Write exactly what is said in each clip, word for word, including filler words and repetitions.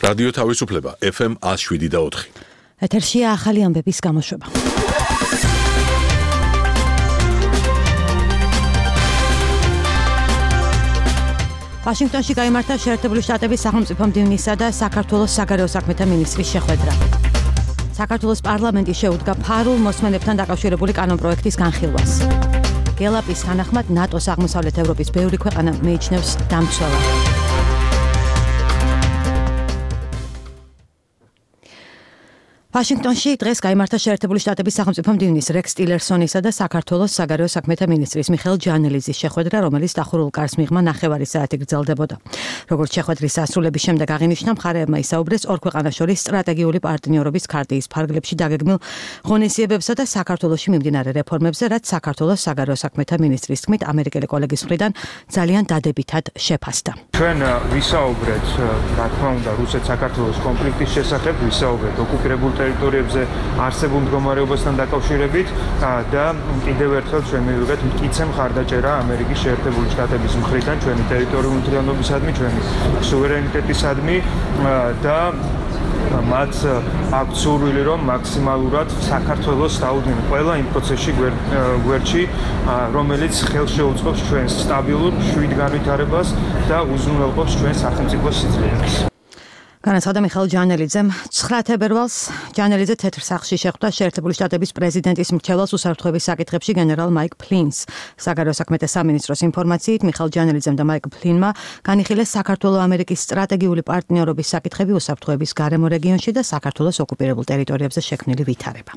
რადიო თავისუფლება ეფ ემ one oh seven და four. ეთერშია ახალი ამბების გამოშვება. ვაშინგტონში გაიმართა შეერთებული შტატების სახელმწიფო მდივნისა და საქართველოს საგარეო საქმეთა მინისტრის შეხვედრა. საქართველოს პარლამენტი შეუდგა ფარულ მოსმენებთან დაკავშირებული კანონპროექტის განხილვას. გელაპის თანახმად ნატოს აღმოსავლეთ ევროპის ბევრი ქვეყანა მიიჩნევს დამცველად. ვაშინგტონში დღეს გაიმართა შეერთებული შტატების სახელმწიფო მდივნის რექს ტილერსონისა და საქართველოს საგარეო საქმეთა მინისტრის მიხეილ ჯანელიზის შეხვედრა, რომელიც დახურულ კარს მიღმა ნახევარი საათი გრძელდებოდა. როგორც შეხვედრის დასრულების შემდეგ აღინიშნა, მხარეებმა ისაუბრეს ორ ქვეყანას შორის სტრატეგიული პარტნიორობის ქარტიის ფარგლებში დაგეგმილ ღონისძიებებსა და საქართველოში მიმდინარე რეფორმებზე, რაც საქართველოს საგარეო საქმეთა მინისტრის თქმით, ამერიკელი კოლეგის მხრიდან ძალიან დადებითად შეფასდა. ჩვენ ვისაუბრეთ, რა თქმა უნდა, რუსეთ-საქართველოს კონფლიქტის შესახებ, ვისაუბრეთ ოკუპირებულ ტერიტორიებზე არსებულ მდგომარეობასთან დაკავშირებით და კიდევ ერთხელ ჩვენ მივიღეთ მტკიცე მხარდაჭერა ამერიკის შეერთებული შტატების მხრიდან ჩვენი ტერიტორიული მთლიანობისადმი, ჩვენი სუვერენიტეტისადმი და მათ აქვს სურვილი, რომ მაქსიმალურად საქართველოს დაუდგნენ ყველა იმ პროცესში გვერდში, რომელიც ხელს შეუწყობს ჩვენს სტაბილურ შვიდ განვითარებას და უზრუნველყოფს ჩვენს სახელმწიფოს სიძლიერეს. განაცხადა მიხეილ ჯანელიძემ. ცხრა თებერვალს ჯანელიძე თეთრ სახლში შეხვდა შეერთებული შტატების პრეზიდენტის მრჩეველს უსაფრთხოების საკითხებში გენერალ მაიკ ფლინს. საგარეო საქმეთა სამინისტროს ინფორმაციით, მიხეილ ჯანელიძემ და მაიკ ფლინმა განიხილეს საქართველო-ამერიკის სტრატეგიული პარტნიორობის საკითხები უსაფრთხოების გარემო რეგიონში და საქართველოს ოკუპირებულ ტერიტორიებზე შექმნილი ვითარება.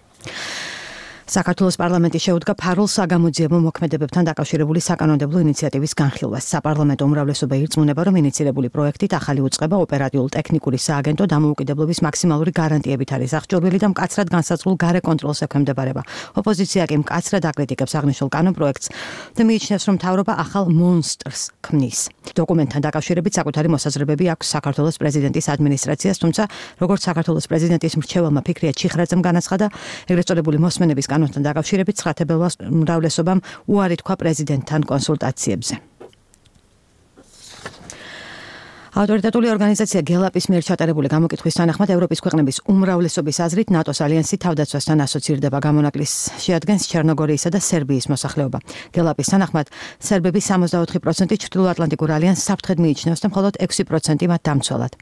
საქართველოს პარლამენტი შეუდგა ფარულ საგამოძიებო მოქმედებებთან დაკავშირებული საკანონმდებლო ინიციატივის განხილვას. საპარლამენტო უმრავლესობა ირწმუნება, რომ ინიცირებული პროექტით ახალი უწყება ოპერატიულ-ტექნიკური სააგენტო დამოუკიდებლობის მაქსიმალური გარანტიებით არის აღჭურვილი და მკაცრად განსაზღვრულ გარე კონტროლს ექვემდებარება. ოპოზიცია კი მკაცრად აკრიტიკებს აღნიშნულ კანონპროექტს და მიიჩნევს, რომ მთავრობა ახალ მონსტრს ქმნის. დოკუმენტთან დაკავშირებით საკუთარი მოსაზრებები აქვს საქართველოს პრეზიდენტის ადმინისტრაციას, თუმცა როგორც საქართველოს პრეზიდენტის მრჩეველმა ფიქრია ჩიხრაძემ განაცხადა, ეგრეთ წოდებული მოსმენების კანონთან დაკავშირებით ცხრა თებერვალს უმრავლესობამ უარი თქვა პრეზიდენტთან კონსულტაციებზე. ავტორიტეტული ორგანიზაცია გელაპის მიერ ჩატარებული გამოკითხვის თანახმად ევროპის ქვეყნების უმრავლესობის აზრით ნატოს ალიანსი თავდაცვასთან ასოცირდება. გამონაკლის შეადგენს ჩერნოგორიისა და სერბიის მოსახლეობა. გელაპის თანახმად სერბები სამოცდაოთხი პროცენტი ჩრდილოატლანტიკურ ალიანსს საფრთხედ მიიჩნევს და მხოლოდ ექვსი პროცენტი მათ დამცველად.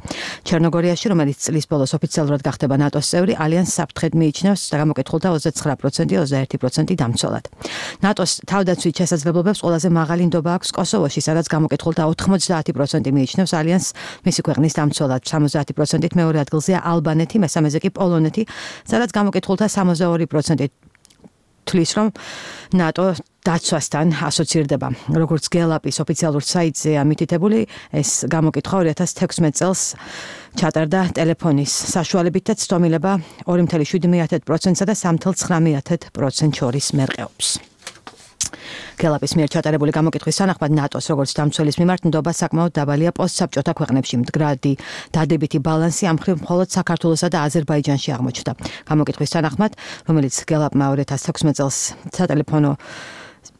ჩერნოგორიაში, რომელიც წლის ბოლოს ოფიციალურად გახდება ნატოს წევრი, ალიანსს საფრთხედ მიიჩნევს და გამოკითხულთა ოცდაცხრა პროცენტი, ოცდაერთი პროცენტი დამცველად. ნატოს თავდაცვით შესაძლებლობებს ყველაზე მაღალი ნდობა აქვს კოსოვოში, სადაც გამოკითხულთა ოთხმოცდაათი პროცენტი მიიჩნევს ალიანსს მისი ქვეყნის დამცველად. სამოცდაათი პროცენტით მეორე ადგილზეა ალბანეთი, მესამეზე კი პოლონეთი, სადაც გამოკითხულთა სამოცდაორი პროცენტი თვლის, რომ ნატო დაცვასთან ასოცირდება. როგორც გელაპის ოფიციალურ საიტზეა მითითებული, ეს გამოკითხვა ორი ათას თექვსმეტ წელს ჩატარდა ტელეფონის საშუალებით და ცდომილება ორი კoma შვიდ პროცენტსა და სამი კoma ცხრა პროცენტს შორის მერყეობს. გელაპის მიერ ჩატარებული გამოკითხვის თანახმად ნატოს როგორც დამცველის მიმართ ნდობა საკმაოდ დაბალია პოსტსაბჭოთა ქვეყნებში. მდგრადი დადებითი ბალანსი ამ მხრივ მხოლოდ საქართველოსა და აზერბაიჯანში აღმოჩნდა. გამოკითხვის თანახმად, რომელიც გელაპმა ორი ათას თექვსმეტ წელს სატელეფონო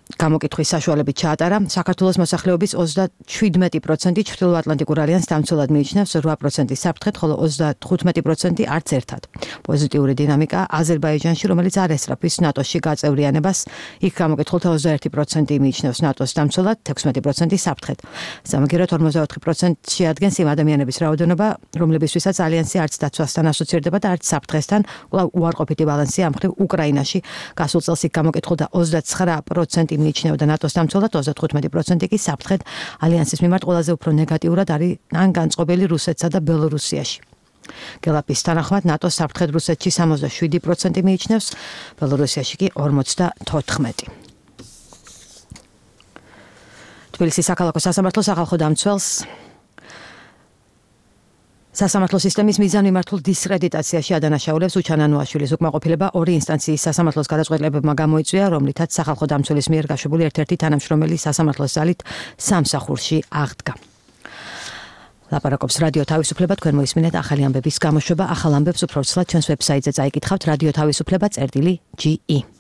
გამოკითხვის საშუალებით ჩაატარა, საქართველოს მოსახლეობის ოცდაშვიდ პროცენტი ჩრდილოატლანტიკურ ალიანსს დამცველად მიიჩნევს, რვა პროცენტი საფრთხედ, ხოლო ოცდათხუთმეტი პროცენტი არც ერთად. პოზიტიური დინამიკა აზერბაიჯანში, რომელიც არ ესწრაფვის ნატოში გაწევრიანებას, იქ გამოკითხულთა ოცდაერთი პროცენტი მიიჩნევს ნატოს დამცველად, ექვსმეტი პროცენტი საფრთხედ. სამაგიეროდ ორმოცდაოთხი პროცენტი შეადგენს იმ ადამიანების რაოდენობა, რომლებისთვისაც ალიანსი არც დაცვასთან ასოცირდება და არც საფრთხესთან. უარყოფითი ბალანსი ამ მხრივ უკრაინაში გასულ წელს იქ გამოკითხულთა ოცდაცხრა პროცენტი მიიჩნევდა ნატოს დამცველად, ოცდათხუთმეტი პროცენტი კი საფრთხედ. ალიანსის მიმართ ყველაზე უფრო ნეგატიურად არის ან განწყობილი რუსეთსა და ბელორუსიაში. გელაპის თანახმად ნატოს საფრთხედ რუსეთში სამოცდაშვიდი პროცენტი მიიჩნევს, ბელორუსიაში კი ორმოცდათოთხმეტი. თბილისის საქალაქო სასამართლოს ახალ დამცველს სასამართლო სისტემის მიზანმიმართულ დისკრედიტაციაში ადანაშაულებს უჩანანოაშვილის უკმაყოფილება ორი ინსტანციის სასამართლოს გადაწყვეტილებებმა გამოიწვია, რომლითაც სახალხო დამცველის მიერ გაშობილი ერთ-ერთი თანამშრომელი სასამართლოს ძალით სამსახურში აღდგა. ლაპარაკობს რადიო თავისუფლება, თქვენ მოისმინეთ ახალი ამბების გამოშვება. ახალ ამბებს უფრო ცლად ჩვენს ვებსაიტზე წაიკითხავთ რადიო თავისუფლება წერტილი ჯი ი.